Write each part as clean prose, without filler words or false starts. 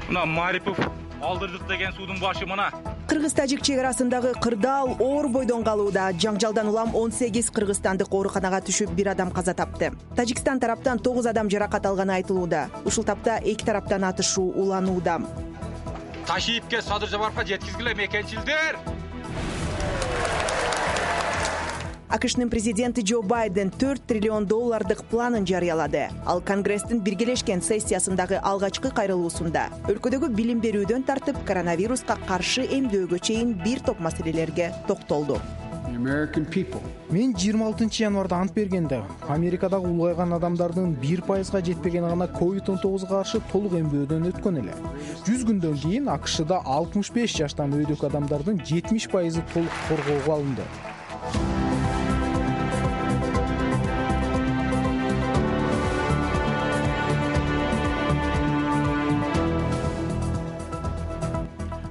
Мына Марипов алдырдык деген суудун башы мына. Кыргыз-тажик чек арасындагы кырдаал оор бойдон калууда. Жаңжалдан улам 18 кыргызстандык ооруканага түшүп, бир адам каза тапты. Тажикстан тараптан 9 адам жаракат алганы айтылууда. Ушул тапта эки тараптан атышуу уланууда. Ташиевке Садыр Жапаровго жеткизгиле мекенчилдер. АКШнын президенти Джо Байден $4 триллион планын жарыялады. Ал Конгресстин биргелешкен сессиясындагы алгачкы кайрылуусунда өлкөдөгү билим берүүдөн тартып коронавируска каршы эмдөөгө чейин бир топ маселелерге токтолду. Мен 26 январда ант бергенде Америкадагы улгайган адамдардын 1%га жетпегени гана COVID-19 каршы толук эмдөөдөн өткөн эле. 100 күндөн кийин АКШда 65 жаштан өйдөгү адамдардын 70% толук коргоого алынды.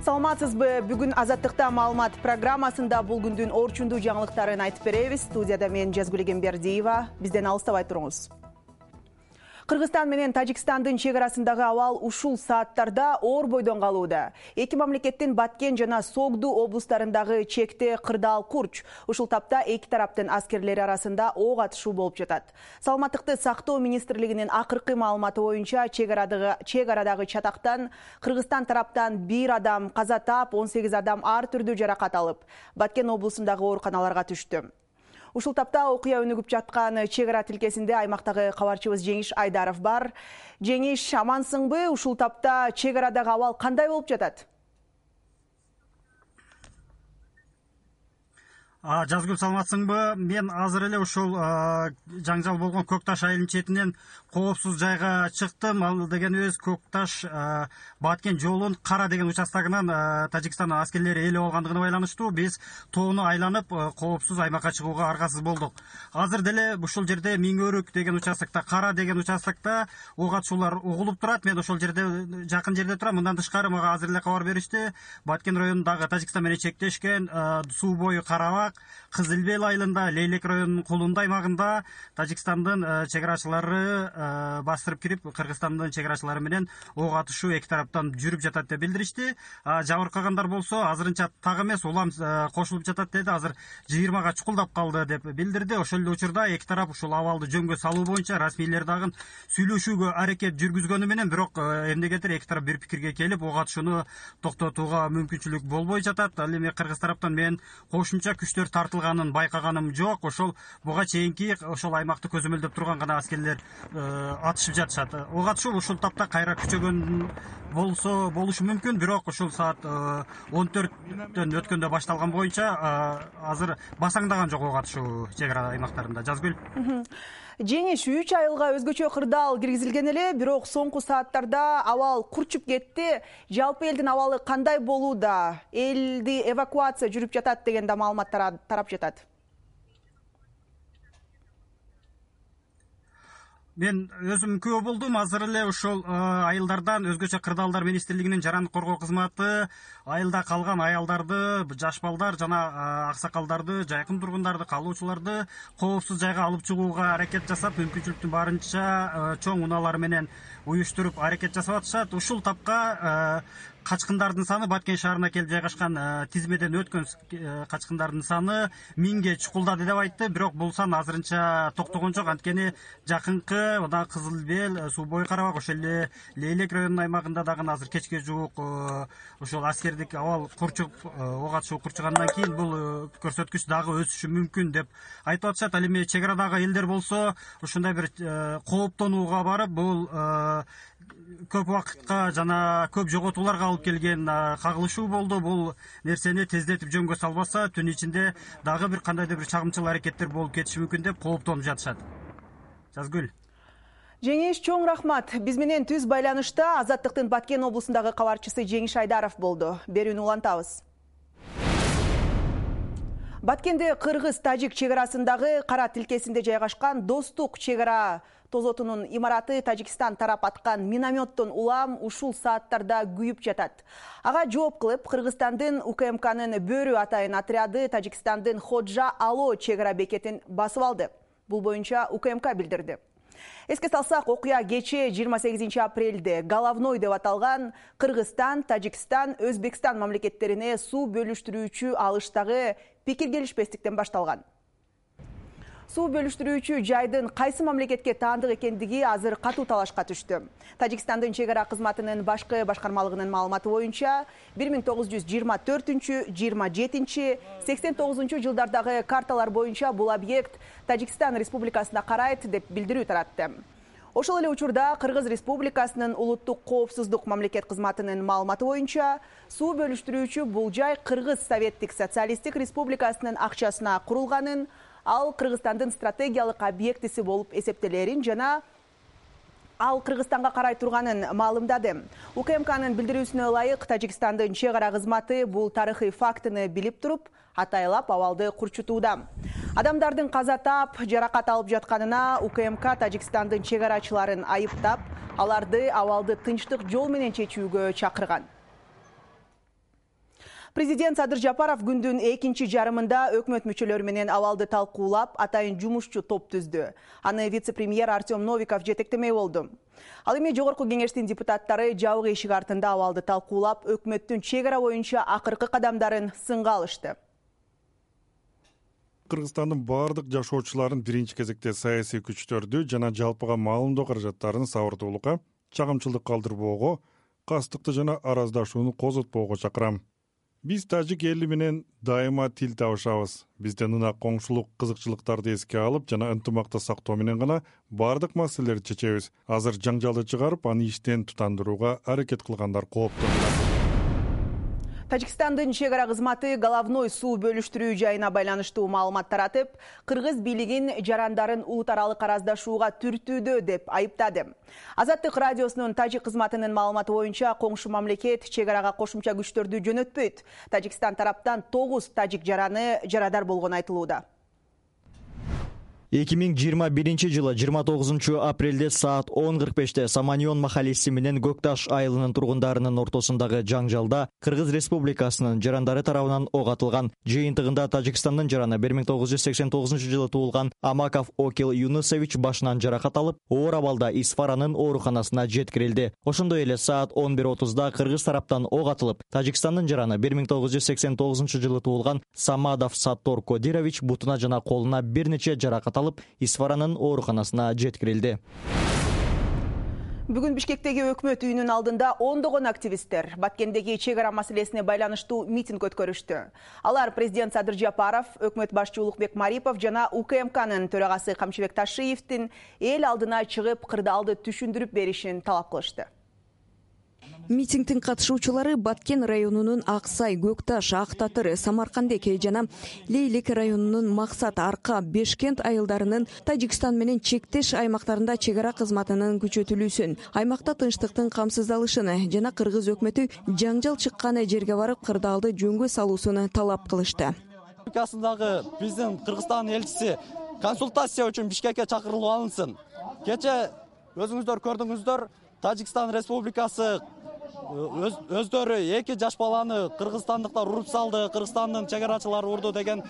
Саламатсызбы? Бүгүн Азаттыкта маалымат программасында бул күндүн орчундуу жаңылыктарын айтып беребиз. Студияда мен Жазгүл Эгембердиева. Бизден алыстабай туруңуз. Кыргызстан менен Тажикстандын чек арасындагы абал ушул сааттарда оор бойдон калууда. Эки мамлекеттин Баткен жана Согду облустарындагы чекте кырдаал курч. Ушул тапта эки тараптын аскерлери арасында ок атышуу болуп жатат. Саламаттыкты сактоо министрлигинин акыркы маалыматы боюнча чек арадагы чатактан Кыргызстан тараптан бир адам каза таап, 18 адам ар түрдүү жаракат алып, Баткен облусундагы ооруканаларга түштү. Ушул тапта окуя өнүгүп жаткан чек ара тилкесинде аймактагы кабарчыбыз Жеңиш Айдаров бар. Жеңиш, амансыңбы? Ушул тапта чек арадагы абал кандай болуп жатат? Жазгүл, саламатсыңбы? Мен азыр эле ушул жаңжал болгон Көкташ айылынын четинен коопсуз жайга чыктым. Ал дегенибиз Көкташ Баткен жолунун Кара деген участогунан Тажикстандын аскерлери ээлеп алгандыгына байланыштуу биз тоону айланып коопсуз аймакка чыгууга аргасыз болдук. Азыр деле ушул жерде Миңөрүк деген участокто, Кара деген участокто ок атышуулар угулуп турат. Мен ошол жерде жакын жерде турам. Мындан тышкары мага азыр эле кабар беришти. Баткен районундагы Тажикстан менен чектешкен суу бою Карабак, Кызылбел айылында, Лейлек районунун Кулунда аймагында Тажикстандын чек арачылары бастырып кирип, Кыргызстандын чек арачылары менен ок атышуу эки тараптан жүрүп жатат деп билдиришти. Жабыркагандар болсо азырынча так эмес, улам кошулуп жатат деди. Азыр 20га чукулдап калды деп билдирди. Ошол эле учурда эки тарап ушул абалды жөнгө салуу боюнча расмийлер дагы сүйлөшүүгө аракет жүргүзгөнү менен, бирок эмнегедир эки тарап бир пикирге келип, ок атышууну токтотууга мүмкүнчүлүк болбой жатат. Ал эми Кыргыз тараптан мен кошумча күчтөр тартылганын байкаганым жок. Ошол буга чейинки ошол аймакты көзөмөлдөп турган гана аскерлер атышып жатышат. Ок атышуу ушул тапта кайра күчөгөн болушу мүмкүн, бирок ушул саат 14-төн өткөндө башталган боюнча азыр басаңдаган жок ок атышуу чек ара аймактарында. Жазгүл. Жеңиш, 3 айылга өзгөчө кырдаал киргизилген эле, бирок соңку сааттарда абал курчуп кетти. Жалпы элдин абалы кандай болууда? Элди эвакуация жүрүп жатат деген да маалыматтар тарап жатат. Мен өзүм күбө болдум. Азыр эле ошол айылдардан өзгөчө кырдаалдар министрлигинин жарандык коргоо кызматы айылда калган аялдарды, жаш балдар жана аксакалдарды, жайкын тургундарды, калуучуларды коопсуз жайга алып чыгууга аракет жасап, мүмкүнчүлүктүн барынча чоң унаалар менен уюштуруп аракет жасап атышат. Ушул тапка качкындардын саны, Баткен шаарына келип жайгашкан тизмеден өткөн качкындардын саны 1000ге чукулдады деп айтты. Бирок бул сан азырынча токтогон жок. Анткени жакынкы мына Кызылбел, Суу бою Карабак, ошол эле Лейлек районунун аймагында дагы азыр кечке жуук ошол аскердик абал курчуп, ок атышуу курчугандан кийин бул көрсөткүч дагы өсүшү мүмкүн деп айтып атышат. Ал эми чек арадагы элдер болсо ушундай бир кооптонууга барып, бул көп убакытка жана көп жоготууларга алып келген кагылышуу болду. Бул нерсени тездетип жөнгө салбаса, түн ичинде дагы бир кандайдыр бир чагымчыл аракеттер болуп кетиши мүмкүн деп кооптонуп жатышат. Жазгүл. Жеңиш, чоң рахмат. Биз менен түз байланышта Азаттыктын Баткен облусундагы кабарчысы Жеңиш Айдаров болду. Берүүнү улантабыз. Баткенде Кыргыз-Тажик чек арасындагы Кара тилкесинде жайгашкан Достук чек ара тозотунун имараты Тажикстан тарап аткан минометтон улам ушул сааттарда күйүп жатат. Ага жооп кылып, Кыргызстандын УКМКнын Бөрү атайын отряды Тажикстандын Ходжа Ало чек ара бекетин басып алды. Бул боюнча УКМК билдирди. Эске салсак, окуя кечээ 28 апрелде Головной деп аталган Кыргызстан, Тажикстан, Өзбекстан мамлекеттерине суу бөлүштүрүүчү алыштагы пикир келишпестиктен башталган. Суу бөлүштүрүүчү жайдын кайсы мамлекетке таандык экендиги азыр катуу талашка түштү. Тажикстандын чек ара кызматынын башкы башкармалыгынын маалыматы боюнча 1924, 27, 89 жылдардагы карталар боюнча бул объект Тажикстан Республикасына карайт деп билдирүү таратты. Ошол эле учурда Кыргыз Республикасынын улуттук коопсуздук мамлекет кызматынын маалыматы боюнча суу бөлүштүрүүчү бул жай Кыргыз Советтик Социалисттик Республикасынын акчасына курулганын, ал Кыргызстандын стратегиялык объектиси болуп эсептелерин жана ал Кыргызстанга карай турганын маалымдады. УКМКнын билдирүүсүнө ылайык, Тажикстандын чек ара кызматы бул тарыхый фактыны билип туруп, атайлап абалды курчутууда. Адамдардын каза таап, жаракат алып жатканына УКМК Тажикстандын чек арачыларын айыптап, аларды абалды тынчтык жол менен чечүүгө чакырган. Президент Садыр Жапаров күндүн экинчи жарымында өкмөт мүчөлөрү менен абалды талкуулап, атайын жумушчу топ түздү. Аны вице-премьер Артем Новиков жетектемей болду. Ал эми жогорку кеңештин депутаттары жабык эшик артында абалды талкуулап, өкмөттүн чек ара боюнча акыркы кадамдарын сынга алышты. Кыргызстандын бардык жашоочуларын биринчи кезекте саясий күчтөрдү жана жалпыга маалымдоо каражаттарын сабырдуулукка, чагымчылдык калтырбоого, кастыкты жана араздашууну козотпоого чакырам. Биз тажик эли менен дайыма тил табышабыз. Бизден ынак коңшулук кызыкчылыктарды эске алып жана ынтымакты сактоо менен гана бардык маселелерди чечебиз. Азыр жаңжалды чыгарып, аны иштен тутандырууга аракет кылгандар кооптонууда. Тажикстандын чек ара кызматы Головной суу бөлүштүрүү жайына байланыштуу маалымат таратып, Кыргыз бийлигин жарандарын улут аралык араздашууга түртүүдө деп айыптады. Азаттык радиосунун тажик кызматынын маалыматы боюнча коңшу мамлекет чек арага кошумча күчтөрдү жөнөтпөйт. Тажикстан тараптан 9 тажик жараны жарадар болгону айтылууда. 2021 жылы 29 апрелде саат 10:45 Саманьон махалеси менен Көкташ айылынын тургундарынын ортосундагы жаңжалда Кыргыз Республикасынын жарандары тарабынан ок атылган. Жыйынтыгында Тажикстандын жараны 1989 жылы туулган Амаков Окил Юнусович башынан жаракат алып, оор абалда Исфаранын ооруканасына жеткирилди. Ошондой эле саат 11:30да Кыргыз тараптан ок атылып, Тажикстандын жараны 1989 жылы туулган Самадов Саттор Кодирович бутуна жана колуна бир нече жаракат Исфаранын ооруканасына жеткирилди. Бүгүн Бишкектеги өкмөт үйүнүн алдында ондогон активисттер Баткендеги чек ара маселесине байланыштуу митинг өткөрүштү. Алар президент Садыр Жапаров, өкмөт башчы Улукбек Марипов жана УКМКнын төрагасы Камчыбек Ташиевдин эл алдына чыгып кырдаалды түшүндүрүп беришин талап кылышты. Митингдин катышуучулары Баткен районунун Аксай, Көкташ, Ак Татыр, Самаркандек жана Лейлек районунун Максат, Арка, Бешкент айылдарынын Тажикстан менен чектеш аймактарында чек ара кызматынын күчөтүлүүсүн, аймакта тынчтыктын камсыздалышын жана кыргыз өкмөтү жаңжал чыккан жерге барып кырдаалды жөнгө салуусун талап кылышты. Биздин Кыргызстан элчиси консультация үчүн Бишкекке чакырылып алынсын. Кече өзүңүздөр көрдүңүздөр, Тажикстан Республикасы өздөрү 2 жаш баланы кыргызстандыктар уруп салды, Кыргызстандын чек арачылары урду деген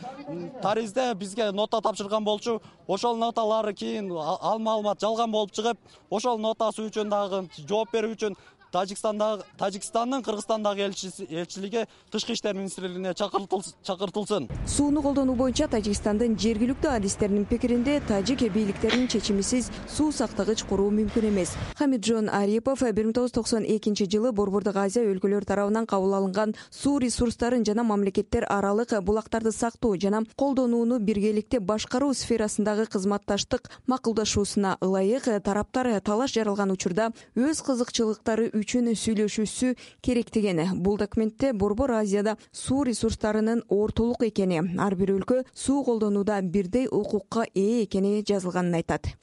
таризде бизге нота тапшырган болчу. Ошол ноталары кийин ал маалымат жалган болуп чыгып, ошол нотасы үчүн дагы жооп берүү үчүн Тажикстандын Кыргызстандагы элчилиги Тышкы иштер министрлигине чакыртылсын. Сууну колдонуу боюнча Тажикстандын жергиликтүү адистеринин пикиринде тажик бийликтеринин чечимисиз суу сактагыч куруу мүмкүн эмес. Хамиджон Арипов 1992 жылы Борбордук Азия өлкөлөрү тарабынан кабыл алынган суу ресурстарын жана мамлекеттер аралык булактарды сактоо жана колдонууну биргеликте башкаруу сферасындагы кызматташтык макулдашуусуна ылайык тараптар талаш жаралган учурда өз кызыкчылыктары үчүн сүйлөшүүсү керек деген. Бул документте Борбор Азияда суу ресурстарынын ортолук экени, ар бир өлкө суу колдонууда бирдей укукка ээ экени жазылганын айтат.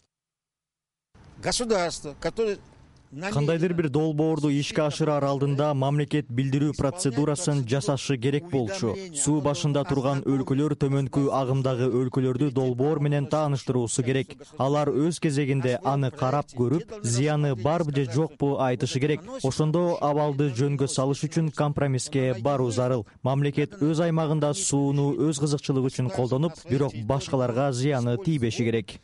Государство, которое Кандайдыр бир долбоорду ишке ашырар алдында мамлекет билдирүү процедурасын жасашы керек болчу. Суу башында турган өлкөлөр төмөнкү агымдагы өлкөлөрдү долбоор менен тааныштыруусу керек. Алар өз кезегинде аны карап көрүп, зыяны барбы же жокпу айтышы керек. Ошондо абалды жөнгө салыш үчүн компромисске баруу зарыл. Мамлекет өз аймагында сууну өз кызыкчылыгы үчүн колдонуп, бирок башкаларга зыяны тийбеши керек.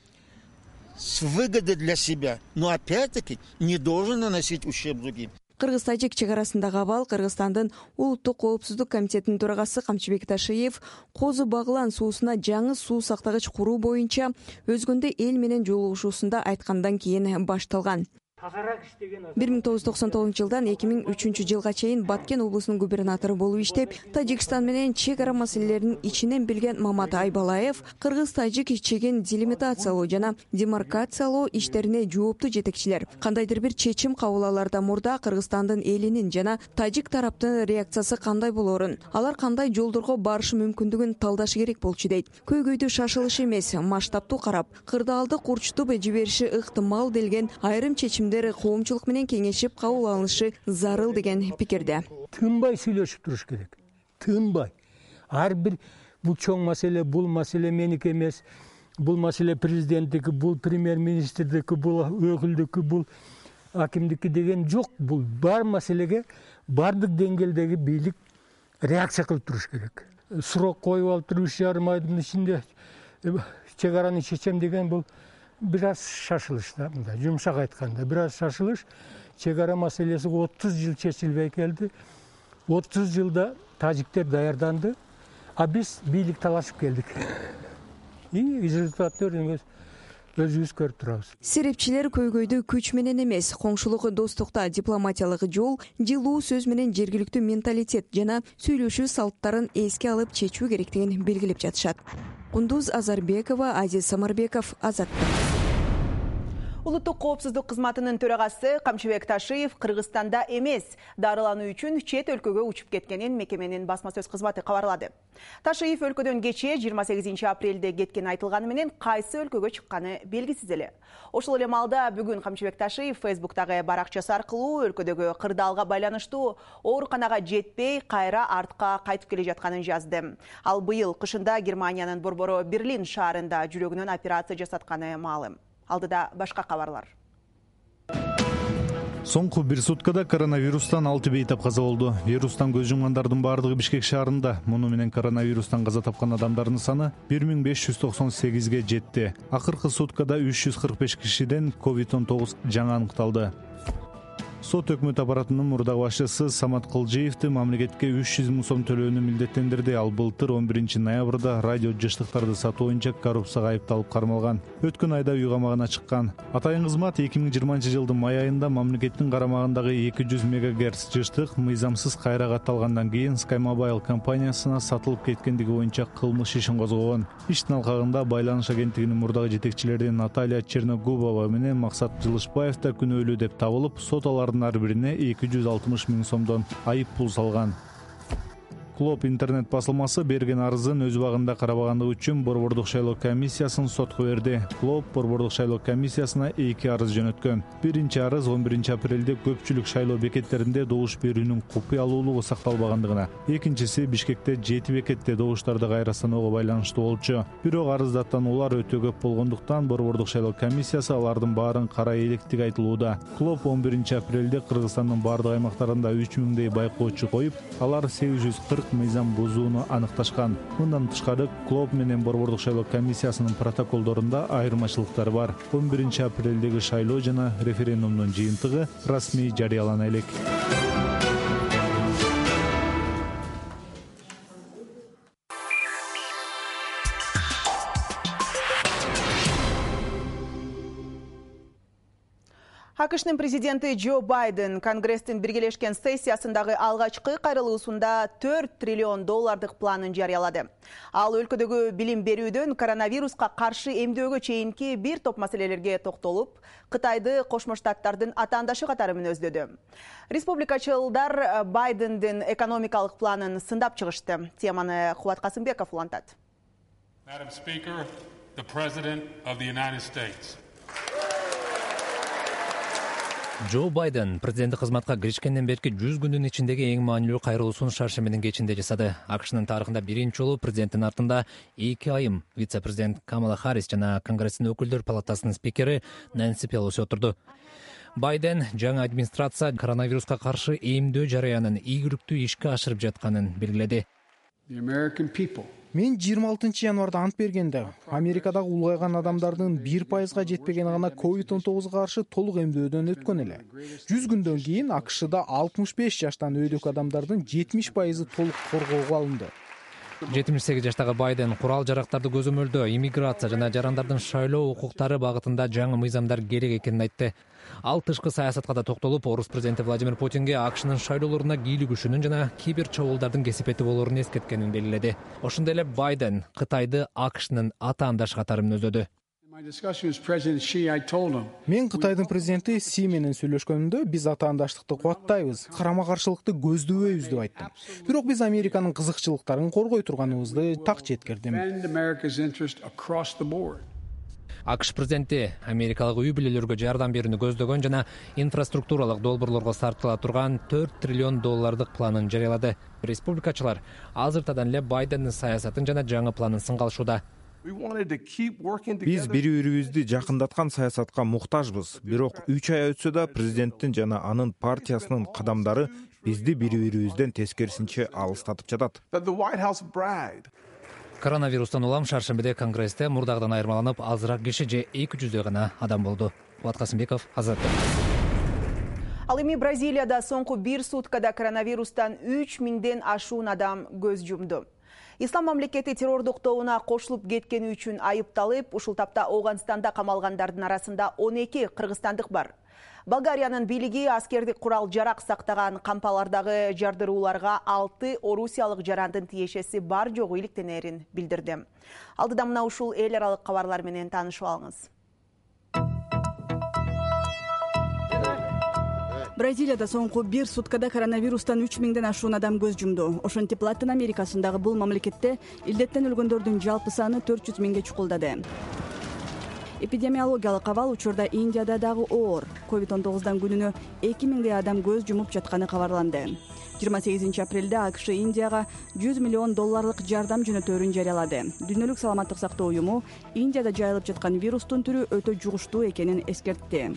с выгодой для себя, но опять-таки не должен наносить ущерб другим. Кыргыз-тажик чек арасындагы абал Кыргызстандын улуттук коопсуздук комитетинин төрагасы Камчыбек Ташиев Козу Баглан суусуна жаңы суу сактагыч куруу боюнча өзгөндө эл менен жолугушуусунда айткандан кийин башталган. 1999 жылдан 2003 жылга чейин Баткен облусунун губернатору болуп иштеп, Тажикстан менен чек ара маселелерин ичинен билген Мамат Айбалаев кыргыз-тажик чегин делимитациялоо жана демаркациялоо иштерине жооптуу жетекчилер. Кандайдыр бир чечим кабыл алаардан мурда Кыргызстандын элинин жана тажик тараптын реакциясы кандай болоорун, алар кандай жолдорго барышы мүмкүндүгүн талдашы керек болчу дейт. Көйгөйдү шашылыш эмес, масштабтуу карап, кырдаалды курчутуп жибериши ыктымал делген айрым чечимдер коомчулук менен кеңешип кабыл алынышы зарыл деген пикирде. Тынбай сүйлөшүп туруш керек. Тынбай. Ар бир бул чоң маселе, бул маселе меники эмес, бул маселе президенттики, бул премьер-министрдики, бул өкүлдүкү, бул акимдики деген жок. Бул бар маселеге бардык деңгээлдеги бийлик реакция кылып туруш керек. Сурок коюп алып туруп 3,5 айдын ичинде чек араны чечем деген бул бир аз шашылыш да, мындай жумшак айтканда бир аз шашылыш. Чек ара маселеси 30 жыл чечилбей келди. 30 жылда тажиктер даярданды, а биз бийлик талашып келдик. И результаттарын өзүбүз көрүп турабыз. Серепчилер көйгөйдү күч менен эмес, коңшулук достукта дипломатиялык жол, жылуу сөз менен жергиликтүү менталитет жана сүйлөшүү салттарын эске алып чечүү керектигин белгилеп жатышат. Кундуз Азарбекова, Азиз Самарбеков, Азаттык. Улуттук коопсуздук кызматынын төрагасы Камчыбек Ташиев Кыргызстанда эмес, дарылануу үчүн чет өлкөгө учуп кеткенин мекеменин басма сөз кызматы кабарлады. Ташиев өлкөдөн кечээ 28 апрелде кеткени айтылганы менен кайсы өлкөгө чыкканы белгисиз эле. Ошол эле маалда бүгүн Камчыбек Ташиев Фейсбуктагы баракчасы аркылуу өлкөдөгү кырдаалга байланыштуу ооруканага жетпей, кайра артка кайтып келе жатканын жазды. Ал быйыл кышында Германиянын борбору Берлин шаарында жүрөгүнөн операция жасатканы маалым. Алдыда башка кабарлар. Соңку бир суткада коронавирустан 6 бейтап каза болду. Вирустан көз жумгандардын бардыгы Бишкек шаарында. Муну менен коронавирустан каза тапкан адамдардын саны 1598ге жетти. Акыркы суткада 345 кишиден COVID-19 жаңы аныкталды. Сот өкмөт аппаратынын мурдагы башчысы Самат Кылжиевди мамлекетке 300 000 сом төлөөнү милдеттендирди. Ал былтыр 11 ноябрда радио жыштыктарды сатуу боюнча коррупцияга айыпталып кармалган. Өткөн айда үй камагына чыккан. Атайын кызмат 2020 жылдын май айында мамлекеттин карамагындагы 200 МГц жыштык мыйзамсыз кайра катталгандан кийин Sky Mobile компаниясына сатылып кеткендиги боюнча кылмыш ишин козгогон. Иштин алкагында байланыш агенттигинин мурдагы жетекчилеринин Наталья Черногубова менен Максат Жылышбаев да күнөөлүү деп табылып, сот алардын ар бирине 260 000 сомдон айып пул салган. Клоп интернет басылмасы берген арызын өз убагында карабагандыгы үчүн борбордук шайлоо комиссиясын сотко берди. Клоп борбордук шайлоо комиссиясына 2 арыз жөнөткөн. Биринчи арыз 11 апрелде көпчүлүк шайлоо бекеттеринде добуш берүүнүн купуялуулугу сакталбагандыгына. Экинчиси Бишкекте 7 бекетте добуштарды кайра саноого байланыштуу болчу. Бирок арыздаттануулар өтө көп болгондуктан борбордук шайлоо комиссиясы алардын баарын кара электиги айтылууда. Клоп 11 апрелде Кыргызстандын бардык аймактарында 3000дей байкоочу коюп, алар 840 мыйзам бузууну аныкташкан. Мындан тышкары Клоп менен борбордук шайлоо комиссиясынын протоколдорунда айырмачылыктар бар. 11 апрелдеги шайлоо жана референдумдун жыйынтыгы расмий жарыялана элек. АКШнын президенти Джо Байден Конгресстин биргелешкен сессиясындагы алгачкы кайрылуусунда $4 триллион планын жарыялады. Ал өлкөдөгү билим берүүдөн коронавируска каршы эмдөөгө чейинки бир топ маселелерге токтолуп, Кытайды Кошмо Штаттардын атаандашы катары мүнөздөдү. Республикачылдар Байдендин экономикалык планын сындап чыгышты. Теманы Кубат Касымбеков улантат. Madam Speaker, the President of the United States. Джо Байден президенттик кызматка киришкенден берки 100 күндүн ичиндеги эң маанилүү кайрылуусун шаршембинин кечинде жасады. АКШнын тарыхында биринчи жолу президенттин артында 2 айым вице-президент Камала Харрис жана Конгресстин өкүлдөр палатасынын спикери Нэнси Пелоси отурду. Байден жаңы администрация коронавируска каршы эмдөө жарыянын ийгиликтүү ишке ашырып жатканын белгиледи. Мен 26 январда ант бергенде Америкадагы улгайган адамдардын 1%га жетпегени гана COVID-19 каршы толук эмдөөдөн өткөн эле. 100 күндөн кийин АКШда 65 жаштан өйдөгү адамдардын 70% толук коргоого алынды. 78 жаштагы Байден курал жарактарды көзөмөлдөө, иммиграция жана жарандардын шайлоо укуктары багытында жаңы мыйзамдар керек экенин айтты. Ал тышкы саясатка да токтолуп, орус президенти Владимир Путинге АКШнын шайлоолоруна кийлигишүүнүн жана кибер чабуулдардын кесипети болоорун эскерткенин белгиледи. Ошондой эле Байден Кытайды АКШнын атаандаш катары мүнөздөдү. Мен Кытайдын президенти Си менен сүйлөшкөнүмдө биз атаандаштыкты кубаттайбыз, карама каршылыкты көздөбөйбүз деп айттым. Бирок биз Американын кызыкчылыктарын коргой турганыбызды так жеткирдим. АКШ президенти америкалык үй бүлөлөргө жардам берүүнү көздөгөн жана инфраструктуралык долбоорлорго сарптала турган $4 триллион планын жарыялады. Республикачылар азыртадан эле Байдендин саясатын жана жаңы планын сынгалышууда. Биз бири-бирибизди жакындаткан саясатка муктажбыз. Бирок 3 ай өтсө да президенттин жана анын партиясынын кадамдары бизди бири-бирибизден тескерисинче алыстатып жатат. Коронавирустан улам шаршембиде Конгрессте мурдагыдан айырмаланып, азыраак киши же 200 гана адам болду. Кубат Касымбеков, Азаттык. Ал эми Бразилияда соңку 1 суткада коронавирустан 3000ден ашуун адам көз жумду. Ислам мамлекети террордук тобуна кошулуп кеткени үчүн айыпталып, ушул тапта Ооганстанда камалгандардын арасында 12 кыргызстандык бар. Болгариянын бийлиги аскердик курал жарак сактаган кампалардагы жардырууларга 6 орусиялык жарандын тиешеси бар жогу иликтенерин билдирди. Алдыда мына ушул эл аралык кабарлар менен таанышып алыңыз. Бразилияда соңку 1 суткада коронавирустан 3000ден ашуун адам көз жумду. Ошентип Латын Америкасындагы бул мамлекетте илдеттен өлгөндөрдүн жалпы саны 400 миңге чукулдады. Эпидемиологиялык абал учурда Индияда дагы оор. COVID-19 күнүнө 2000 адам көз жумуп жатканы кабарланды. 28 апрелде АКШ Индияга $100 миллион жардам жөнөтөөрүн жарыялады. Дүйнөлүк саламаттык сактоо уюму Индияда жайылып жаткан вирустун түрү өтө жугуштуу экенин эскертти.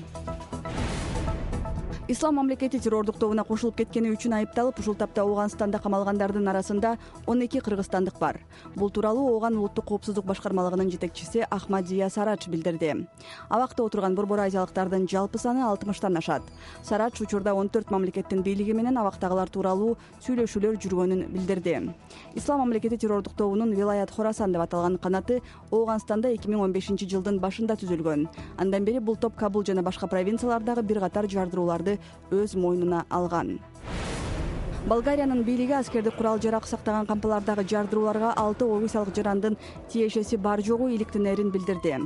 Ислам мамлекети террордук тобуна кошулуп кеткени үчүн айыпталып, ушул тапта Ооганстанда камалгандардын арасында 12 кыргызстандык бар. Бул тууралуу Ооган улуттук коопсуздук башкармалыгынын жетекчиси Ахмадия Сарач билдирди. Абакта отурган Борбор азиялыктардын жалпы саны 60тан ашат. Сарач учурда 14 мамлекеттин бийлиги менен абактагылар тууралуу сүйлөшүүлөр жүргөнүн билдирди. Ислам мамлекети террордук тобунун Вилаят Хорасан деп аталган канаты Ооганстанда 2015 жылдын башында түзүлгөн. Андан бери бул топ Кабул жана башка провинциялардагы бир катар жардырууларды өз мойнуна алган. Болгариянын бийлиги аскердик курал жарак сактаган кампалардагы жардырууларга 6 орусиялык жарандын тиешеси бар жогу иликтенерин билдирди.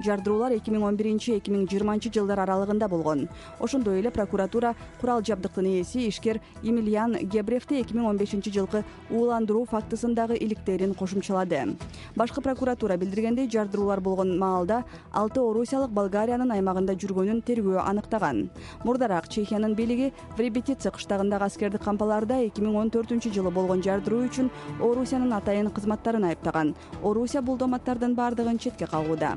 Жардыруулар 2011-2020 жылдар аралыгында болгон. Ошондой эле прокуратура курал жабдыктын ээси ишкер Емельян Гебревти 2015 жылкы ууландыруу фактысындагы иликтерин кошумчалады. Башкы прокуратура билдиргендей, жардыруулар болгон маалда 6 орусиялык Болгариянын аймагында жүргөнүн тергөө аныктаган. Мурдараак Чехиянын бийлиги Вребетица кыштагындагы аскердик кампаларда 2014 жылы болгон жардыруу үчүн Орусиянын атайын кызматтарын айыптаган. Орусия бул доматтардын бардыгын четке кагууда.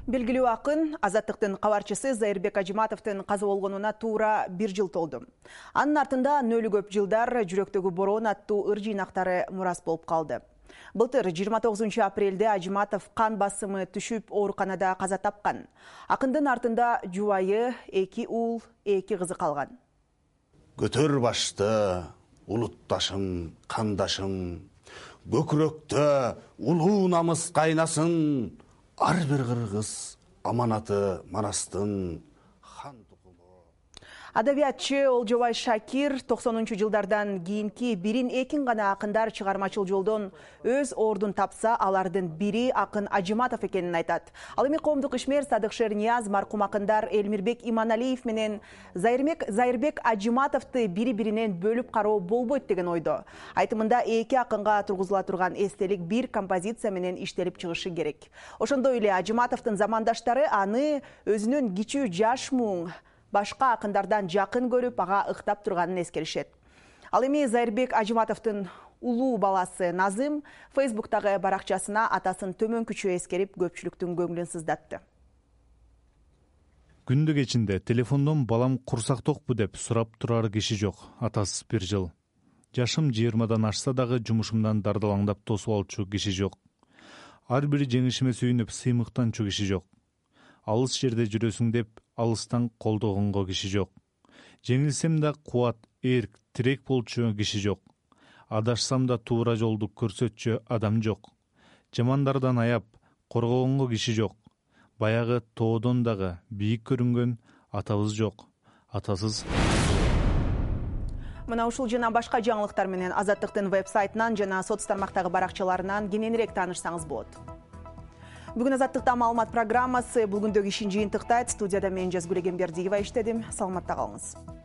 Белгилүү акын Азаттыктын кабарчысы Зайырбек Ажиматовдун каза болгонуна туура 1 жыл толду. Анын артында нөлү көп жылдар жүрөктөгү бороон аттуу ыр жыйнактары мурас болуп калды. Былтыр 29 апрелде Ажиматов кан басымы түшүп ооруканада каза тапкан. Акындын артында жубайы, 2 уул, 2 кызы калган. Көтөр башты, улутташым, кандашым, көкүрөктө улуу намыс кайнасын, ар бир кыргыз аманаты Манастын хан тукуму. Адабиятчы Олжобай Шакир 90-жылдардан кийинки бирин экин гана акындар чыгармачыл жолдон өз ордун тапса, алардын бири акын Ажиматов экенин айтат. Ал эми коомдук ишмер Садык Шернияз маркум акындар Элмирбек Иманалиев менен Зайырбек Ажиматовду бири-биринен бөлүп кароо болбойт деген ойдо. Айтымында 2 акынга тургузула турган эстелик бир композиция менен иштелип чыгышы керек. Ошондой эле Ажиматовдун замандаштары аны өзүнүн кичүү жаш муң башка акындардан жакын көрүп, ага ыктап турганын эскеришет. Ал эми Зайырбек Ажиматовдун улуу баласы Назым Фейсбуктагы баракчасына атасын төмөнкүчө эскерип, көпчүлүктүн көңүлүн сыздатты. Күндү кечинде телефондон балам курсак токпу деп сурап турар киши жок. Атасыз 1 жыл. Жашым 20-дан ашса дагы жумушумдан дардалаңдап тосуп алчу киши жок. Ар бири жеңишиме сүйүнүп сыймыктанчу киши жок. Алыс жерде жүрөсүң деп алыстан колдогонго киши жок. Жеңилсем да кубат, эрк, тирек болчу киши жок. Адашсам да туура жолду көрсөтчү адам жок. Жамандардан аяп коргогонго киши жок. Баягы тоодон дагы бийик көрүнгөн атабыз жок. Атасыз. Мына ушул жана башка жаңылыктар менен Азаттыктын веб-сайтынан жана соц тармактагы баракчаларынан кененирээк таанышсаңыз болот. Бүгүн Азаттыкта маалымат программасы бул күндөгү ишин жыйынтыктайт. Студияда мен Жазгүл Эгембердиева иштедим. Саламатта калыңыз.